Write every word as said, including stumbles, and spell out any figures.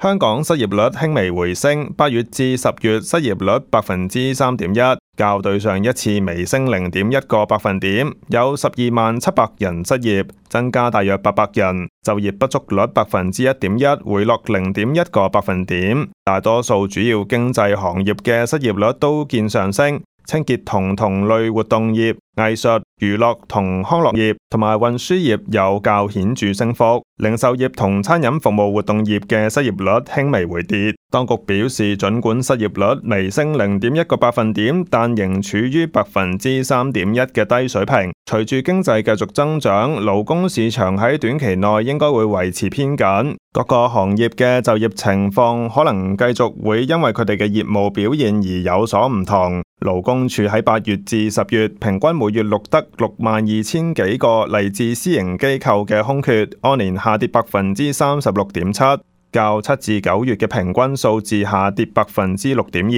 香港失業率輕微回升，八月至十月失業率百分之三點一，較對上一次微升零點一個百分點，有十二萬七百人失業，增加大約八百人。就業不足率百分之一點一，回落零點一個百分點。大多數主要經濟行業嘅失業率都見上升。清潔同同類活動業、藝術、娛樂同康樂業同埋運輸業有較顯著升幅，零售業同餐飲服務活動業嘅失業率輕微回跌。當局表示，儘管失業率微升零點一個百分點，但仍處於百分之三點一嘅低水平。隨住經濟繼續增長，勞工市場喺短期內應該會維持偏緊。各個行業嘅就業情況可能繼續會因為佢哋嘅業務表現而有所唔同。勞工處喺八月至十月平均每月錄得六萬二千幾個嚟自私營機構嘅空缺，按年下跌百分之三十六點七，較七至九月嘅平均數字下跌百分之六點二。